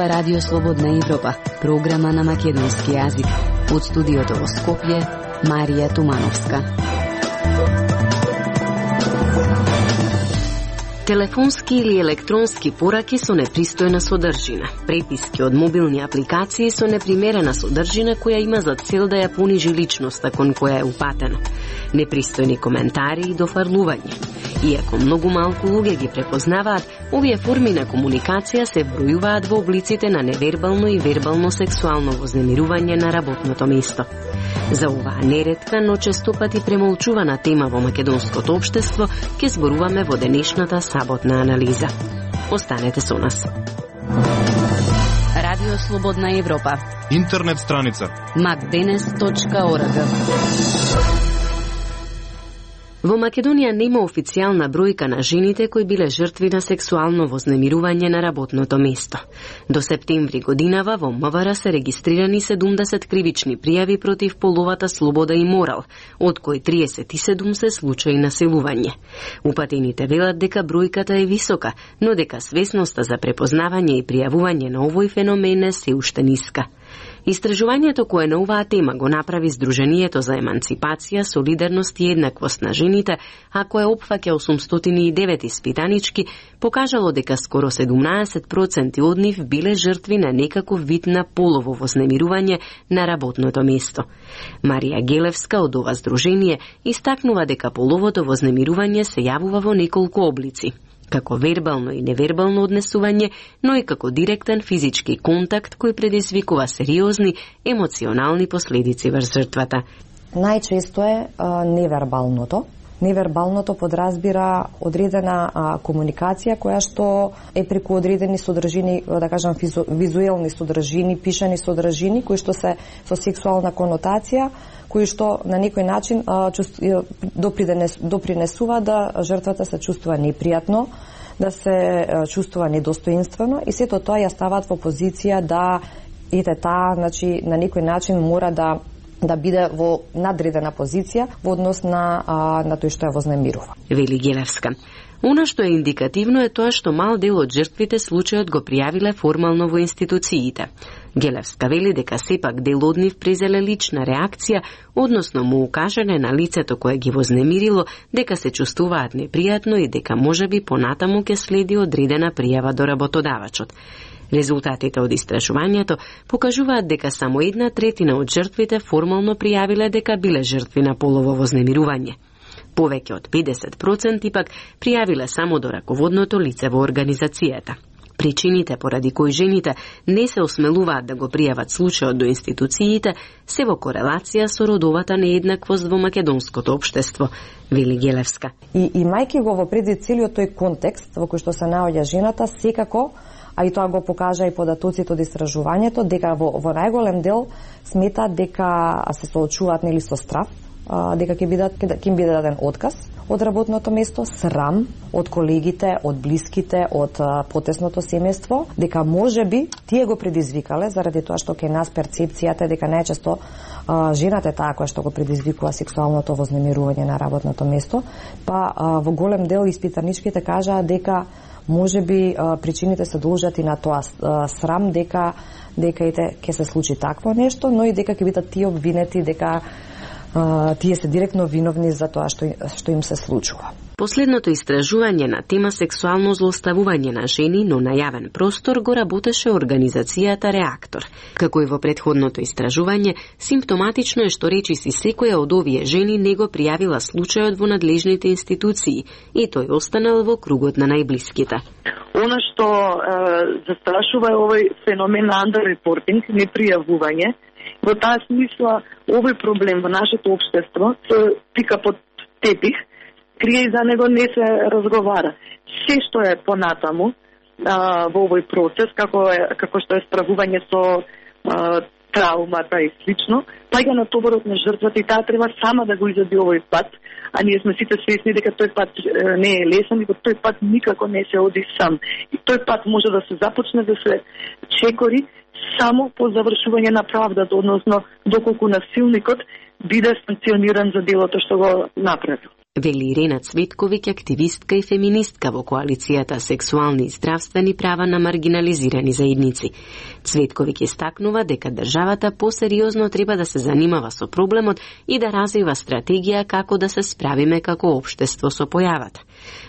Ова е Радио Слободна Европа, програма на македонски јазик. Од студиото во Скопје, Марија Тумановска. Телефонски или електронски пораки со непристојна содржина, преписки од мобилни апликации со непримерена содржина која има за цел да ја понижи личноста кон која е упатено, непристојни коментари и дофарлување. Иако многу малку луѓе ги препознаваат, овие форми на комуникација се вбројуваат во облиците на невербално и вербално сексуално вознемирување на работното место. За оваа неретка, но често пати премолчувана тема во македонското општество, ќе зборуваме во денешната саботна анализа. Останете со нас. Радио Слободна Европа. Интернет страница macdenes.org. Во Македонија нема официјална бројка на жените кои биле жртви на сексуално вознемирување на работното место. До септември годинава во МВР се регистрирани 70 кривични пријави против половата слобода и морал, од кои 37 се случаи на силување. Упатените велат дека бројката е висока, но дека свесноста за препознавање и пријавување на овој феномен е се уште ниска. Истражувањето кое на оваа тема го направи Сдруженијето за еманципација, солидарност и еднаквост на жените, а кое опфаќа 809 испитанички, покажало дека скоро 17% од нив биле жртви на некаков вид на полово вознемирување на работното место. Марија Гелевска од ова здружение истакнува дека половото вознемирување се јавува во неколку облици, како вербално и невербално однесување, но и како директен физички контакт кој предизвикува сериозни емоционални последици врз жртвата. Најчесто е невербалното. Невербалното подразбира одредена комуникација која што е преку одредени содржини, да кажам визуелни содржини, пишани содржини кои што се со сексуална конотација, кои што на некој начин допринесува да жртвата се чувствува непријатно, да се чувствува недостоинствено и сето тоа ја ставаат во позиција да таа, значи на некој начин мора да биде во надредена позиција во однос на тој што ја вознемирува. Вели Гелевска. Она што е индикативно е тоа што мал дел од жртвите случајот го пријавиле формално во институциите. Гелевска вели дека сепак дел од нив презеле лична реакција, односно му укажале на лицето кое ги вознемирило дека се чувствуваат непријатно и дека можеби понатаму ќе следи одредена пријава до работодавачот. Резултатите од истражувањето покажуваат дека само 1/3 од жртвите формално пријавиле дека биле жртви на полово вознемирување. Повеќе од 50% пак пријавиле само до раководното лице во организацијата. Причините поради кои жените не се осмелуваат да го пријават случајот до институциите се во корелација со родовата нееднаквост во македонското општество, вели Гелевска. И имајќи го во предвид целиот тој контекст во кој што се наоѓа жената, секако, а и тоа го покажа и податоците од истражувањето, дека во најголем дел сметаат дека се соочуваат нели со страв, дека ќе им биде даден отказ од работното место, срам од колегите, од блиските, од потесното семејство, дека можеби тие го предизвикале заради тоа што кај нас перцепцијата е дека најчесто жената е таа која што го предизвикува сексуалното вознемирување на работното место, па во голем дел испитаничките кажаа дека можеби причините се должат и на тоа срам дека ќе се случи такво нешто, но и дека ќе бидат тие обвинети дека тие се директно виновни за тоа што им се случува. Последното истражување на тема сексуално злоставување на жени, но на јавен простор, го работеше организацијата Реактор. Како и во претходното истражување, симптоматично е што речиси секоја од овие жени не го пријавила случајот во надлежните институции и тој останал во кругот на најблиските. Она што застрашува е овој феномен на underreporting, непријавување. Во таа смисла, овој проблем во нашето општество се пика под тепих, крие и за него не се разговара. Се што е понатаму во овој процес, како што е справување со траумата и слично, паѓа на товарот на жртвата и таа треба сама да го изоди овој пат, а ние сме сите свесни дека тој пат не е лесен и тој пат никако не се оди сам. И тој пат може да се започне да се чекори само по завршување на правдата, односно доколку насилникот биде санкциониран за делото што го направил. вели Ирена Цветковиќ, активистка и феминистка во коалицијата Сексуални и здравствени права на маргинализирани заедници. Цветковиќ истакнува дека државата посериозно треба да се занимава со проблемот и да развива стратегија како да се справиме како општество со појавата.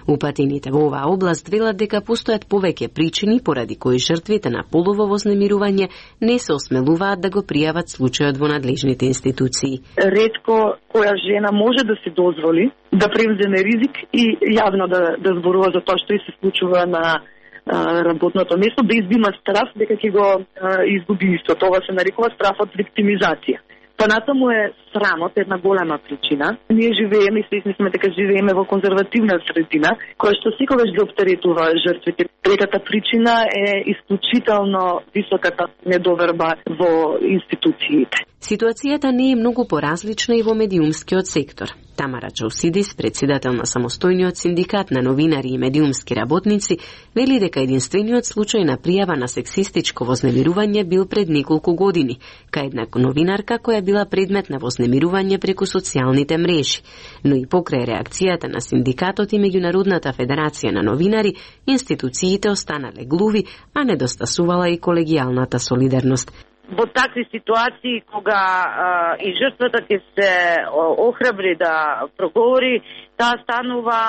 Упатените во оваа област велат дека постојат повеќе причини поради кои жртвите на полово вознемирување не се осмелуваат да го пријават случајот во надлежните институции. Ретко која жена може да се дозволи да превземе ризик и јавно да зборува за тоа што и се случува на работното место, без да има страф дека ќе го изгуби исто. Тоа се нарекува страф од виктимизација. Понатаму е срамот една голема причина. Ние живееме и свесни сме дека живееме во конзервативна средина, која што секогаш ги оптеретува жртвите. Третата причина е исклучително високата недоверба во институциите. Ситуацијата не е многу поразлична и во медиумскиот сектор. Тамара Джаусидис, председател на самостојниот синдикат на новинари и медиумски работници, вели дека единствениот случај на пријава на сексистичко вознемирување бил пред неколку години, кај една новинарка која била предмет на вознемирување преку социјалните мрежи. Но и покрај реакцијата на синдикатот и Меѓународната федерација на новинари, институциите останале глуви, а недостасувала и колегијалната солидарност. Во такви ситуации, кога и жртвата ќе се охрабри да проговори, таа станува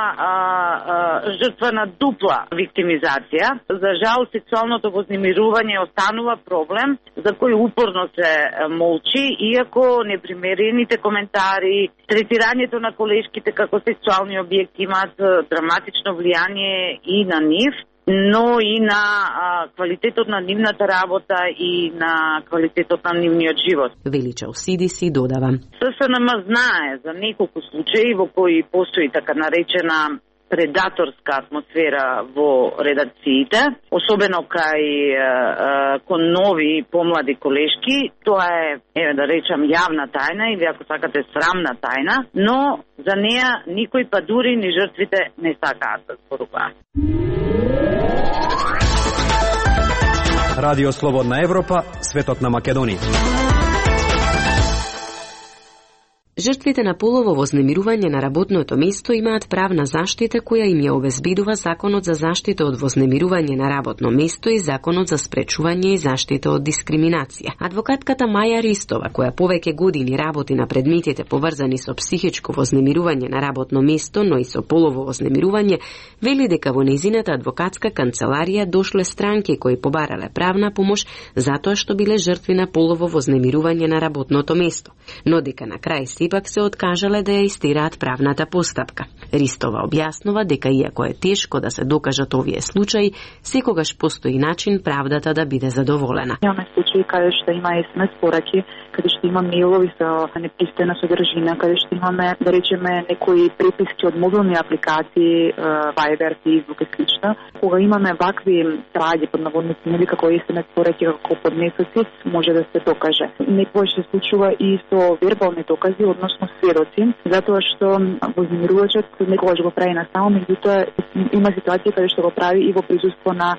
жртва на дупла виктимизација. За жал, сексуалното вознемирување останува проблем за кој упорно се молчи, иако непримерените коментари, третирањето на колешките како сексуални објекти имаат драматично влијание и на нив, но и на квалитетот на нивната работа и на квалитетот на нивниот живот. Вели Джаусидис додава. ССНМ знае за неколку случаи во кои постои така наречена предаторска атмосфера во редакциите, особено кон нови помлади колешки. Тоа е, да речам, јавна тајна или ако сакате срамна тајна, но за неа никој, па дури ни жртвите, не сакаат да зборуваат. Радио Слободна Европа, светот на Македонија. Жртвите на полово вознемирување на работното место имаат правна заштита која им ја обезбедува Законот за заштита од вознемирување на работно место и Законот за спречување и заштита од дискриминација. Адвокатката Маја Ристова, која повеќе години работи на предметите поврзани со психичко вознемирување на работно место, но и со полово вознемирување, вели дека во нејзината адвокатска канцеларија дошле странки кои побарале правна помош затоа што биле жртви на полово вознемирување на работното место, но дека на крај сепак се откажале да ја истераат правната постапка. Ристова објаснува дека иако е тешко да се докажат овие случаи, секогаш постои начин правдата да биде задоволена. Имаме случаи каде што има SMS пораки, каде што има мејлови со непристојна содржина, каде што имаме, да речеме, некои преписки од мобилни апликации, Viber, Facebook и слично. Кога имаме вакви траги под наводници, нели како SMS пораки, како поднесоци, може да се докаже. Некој се случува и со вербални докази, односно сведоци, затоа што вознемирувачот некогаш го прави на само, меѓутоа има ситуација каде што го прави и во присуство на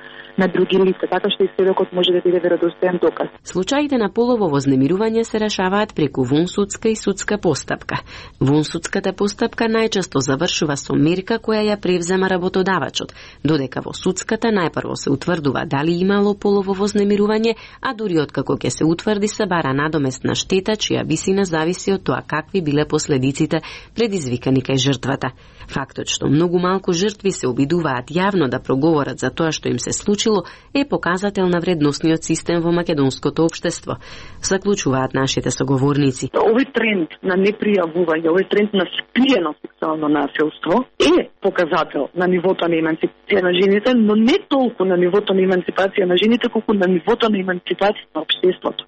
други лица, така што и сведокот може да биде веродостоен доказ. Случаите на полово вознемирување се решаваат преку вонсудска и судска постапка. Вонсудската постапка најчесто завршува со мерка која ја превзема работодавачот, додека во судската најпрво се утврдува дали имало полово вознемирување, а дури откако ќе се утврди се бара надоместна штета чија висина зависи од тоа какви биле последиците предизвикани кај жртвата. Фактот што многу малку жртви се обидуваат јавно да проговорат за тоа што им се случило е показател на вредносниот систем во македонското општество, заклучуваат нашите соговорници. Овој тренд на непријавување, овој тренд на скриено сексуално насилство е показател на нивото на емансипација на жените, но не толку на нивото на емансипација на жените, колку на нивото на емансипација на општеството.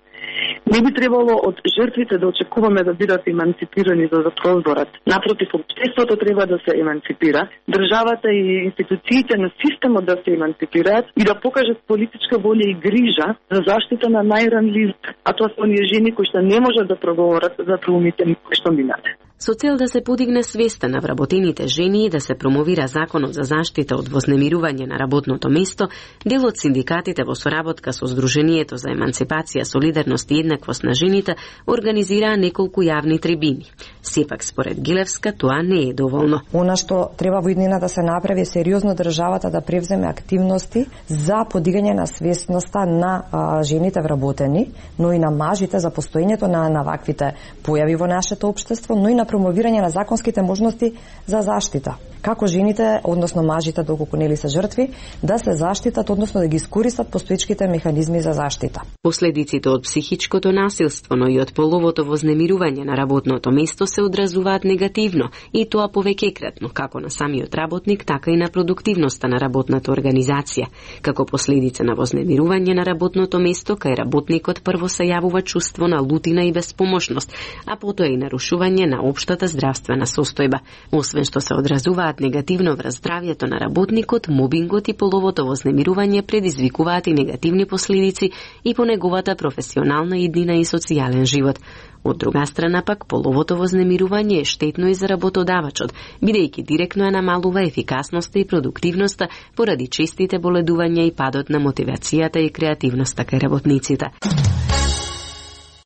Не би требало од жртвите да очекуваме да бидат емансипирани за да прозборат. Напротив, општеството треба да се емансипира, државата и институциите на системот да се емансипираат и да покажат политичка волја и грижа за заштита на најранливите, а тоа се оние жени кои што не можат да проговорат за траумите кои што минате. Со цел да се подигне свеста на вработените жени и да се промовира Законот за заштита од вознемирување на работното место, дел од синдикатите во соработка со Сдруженијето за емансипација, солидарност и еднаквост на жените организираа неколку јавни трибини. Сепак, според Гилевска, тоа не е доволно. Она што треба во иднина да се направи сериозно државата да превземе активности за подигање на свесноста на жените вработени, но и на мажите за постоењето на ваквите појави во нашето општество, но и на промовирање на законските можности за заштита. Како жените, односно мажите, доколку нели се жртви, да се заштитат, односно да ги искористат постоечките механизми за заштита. Последиците од психичкото насилство, но и од половото вознемирување на работното место се одразуваат негативно, и тоа повеќекратно, како на самиот работник, така и на продуктивноста на работната организација. Како последица на вознемирување на работното место, кај работникот прво се јавува чувство на лутина и безпомошност, а потоа и нарушување на општата здравствена состојба. Освен што се одразуваат негативно врз здравјето на работникот, мобингот и половото вознемирување предизвикуваат и негативни последици и по неговата професионална иднина и социјален живот. Од друга страна пак, половото вознемирување е штетно и за работодавачот, бидејќи директно ја намалува ефикасноста и продуктивноста поради честите боледувања и падот на мотивацијата и креативноста кај работниците.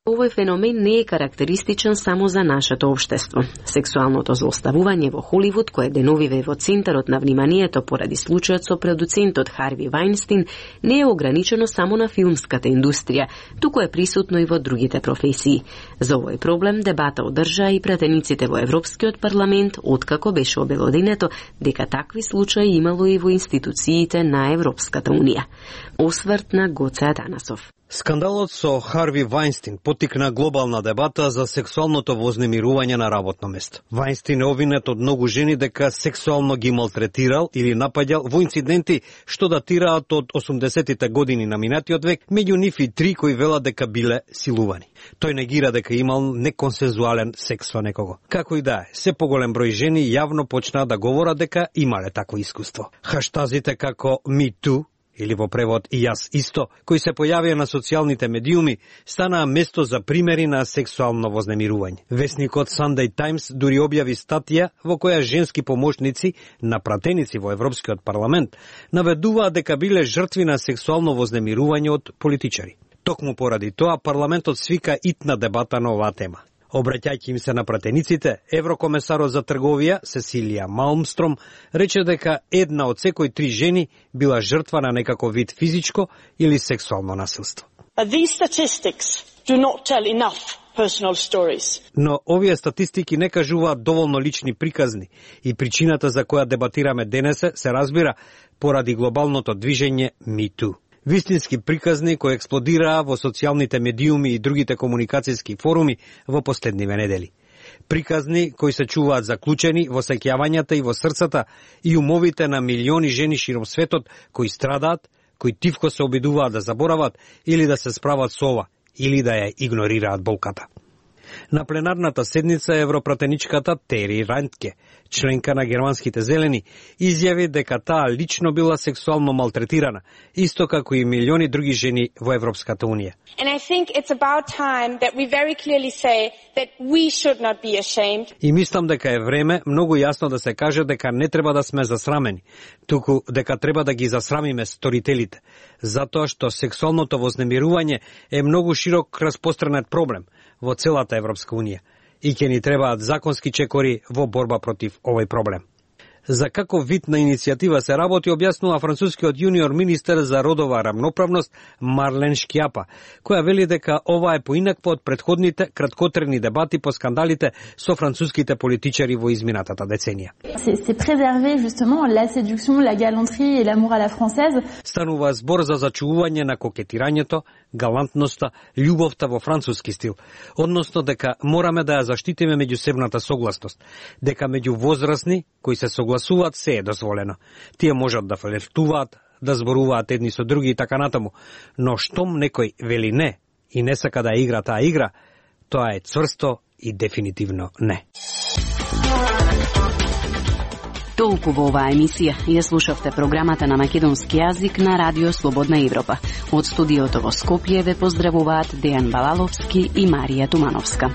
Овој феномен не е карактеристичен само за нашето општество. Сексуалното злоставување во Холивуд, кое деновиве во центарот на вниманието поради случајот со продуцентот Харви Вајнстин, не е ограничено само на филмската индустрија, туку е присутно и во другите професии. За овој проблем дебата одржаа и пратениците во Европскиот парламент, откако беше обелоденето дека такви случаи имало и во институциите на Европската унија. Осврт на Гоце Атанасов. Скандалот со Харви Вајнстин поттикна глобална дебата за сексуалното вознемирување на работно место. Вајнстин е обвинет од многу жени дека сексуално ги малтретирал или напаѓал во инциденти што датираат од 80-тите години на минатиот век, меѓу нив и 3 кои велат дека биле силувани. Тој негира дека имал неконсензуален секс со некого. Како и да е, се поголем број жени јавно почнаа да говорат дека имале такво искуство. Хаштазите како Me Too, или во превод и јас исто, кои се појавија на социјалните медиуми, станаа место за примери на сексуално вознемирување. Весникот Sunday Times дури објави статија во која женски помошници на пратеници во Европскиот парламент наведуваат дека биле жртви на сексуално вознемирување од политичари. Токму поради тоа парламентот свика итна дебата на оваа тема. Обраќајќи им се на пратениците, еврокомесарот за трговија Сесилија Малмстром рече дека една од секој 3 жени била жртва на некако вид физичко или сексуално насилство. Но овие статистики не кажуваат доволно лични приказни и причината за која дебатираме денес се разбира поради глобалното движење Me Too. Вистински приказни кои експлодираа во социјалните медиуми и другите комуникацијски форуми во последниве недели. Приказни кои се чуваат заклучени во сеќавањата и во срцата и умовите на милиони жени широм светот кои страдаат, кои тивко се обидуваат да заборават или да се справат со ова, или да ја игнорираат болката. На пленарната седница европратеничката Тери Рантке, членка на германските зелени, изјави дека таа лично била сексуално малтретирана, исто како и милиони други жени во Европската унија. И мислам дека е време многу јасно да се каже дека не треба да сме засрамени, туку дека треба да ги засрамиме сторителите, затоа што сексуалното вознемирување е многу широк распространет проблем во целата Европска унија и ќе ни требаат законски чекори во борба против овој проблем. За каков вид на иницијатива се работи, објаснува францускиот јуниор министер за родова рамноправност Марлен Шкјапа, која вели дека ова е поинакво од претходните краткотрени дебати по скандалите со француските политичари во изминатата деценија. Станува збор за зачувување на кокетирањето, галантноста, љубовта во француски стил, односно дека мораме да ја заштитиме меѓусебната согласност, дека меѓу возрастни кои се согласуваат се е дозволено. Тие можат да флиртуваат, да зборуваат едни со други и така натаму, но штом некој вели не и не сака да игра таа игра, тоа е цврсто и дефинитивно не. Толку во оваа емисија. Ја слушавте програмата на македонски јазик на Радио Слободна Европа. Од студиото во Скопје ве поздравуваат Дејан Балаловски и Марија Тумановска.